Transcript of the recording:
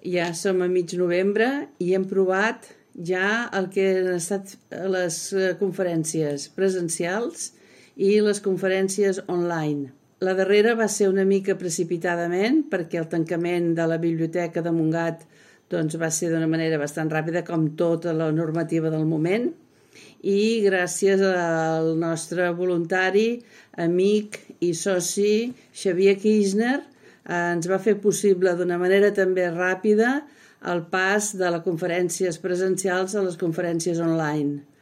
ja som a mig novembre i hem provat ja el que han estat les conferències presencials i les conferències online. La darrera va ser una mica precipitadament perquè el tancament de la biblioteca de Montgat va ser d'una manera bastant ràpida, com tota la normativa del moment, i gràcies al nostre voluntari, amic i soci Xavier Kirchner ens va fer possible d'una manera també ràpida el pas de les conferències presencials a les conferències online.